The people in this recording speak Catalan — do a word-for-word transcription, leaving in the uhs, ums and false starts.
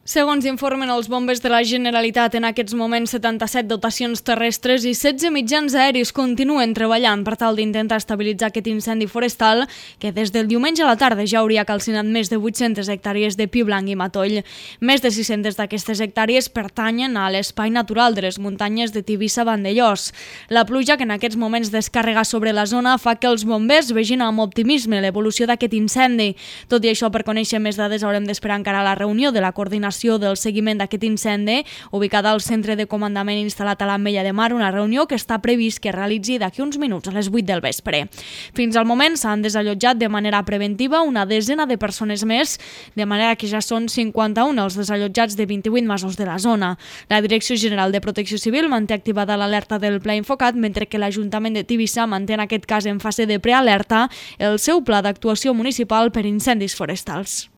Segons informen els bombers de la Generalitat, en aquests moments setanta-set dotacions terrestres i setze mitjans aeris continuen treballant per tal d'intentar estabilitzar aquest incendi forestal que des del diumenge a la tarda ja hauria calcinat més de vuit-centes hectàrees de pi blanc i matoll. Més de sis-centes d'aquestes hectàrees pertanyen a l'espai natural de les muntanyes de Tivissa-Vandellòs. La pluja que en aquests moments descarrega sobre la zona fa que els bombers vegin amb optimisme l'evolució d'aquest incendi. Tot i això, per conèixer més dades haurem d'esperar encara la reunió de la coordinació del seguiment d'aquest incendi, ubicada al centre de comandament instal·lat a l'Ametlla de Mar, una reunió que està previst que es realitzi d'aquí uns minuts, a les vuit del vespre. Fins al moment s'han desallotjat de manera preventiva una desena de persones més, de manera que ja són cinquanta-un els desallotjats de vint-i-vuit masos de la zona. La Direcció General de Protecció Civil manté activada l'alerta del Pla Infocat, mentre que l'Ajuntament de Tivissa manté en aquest cas en fase de prealerta el seu pla d'actuació municipal per incendis forestals.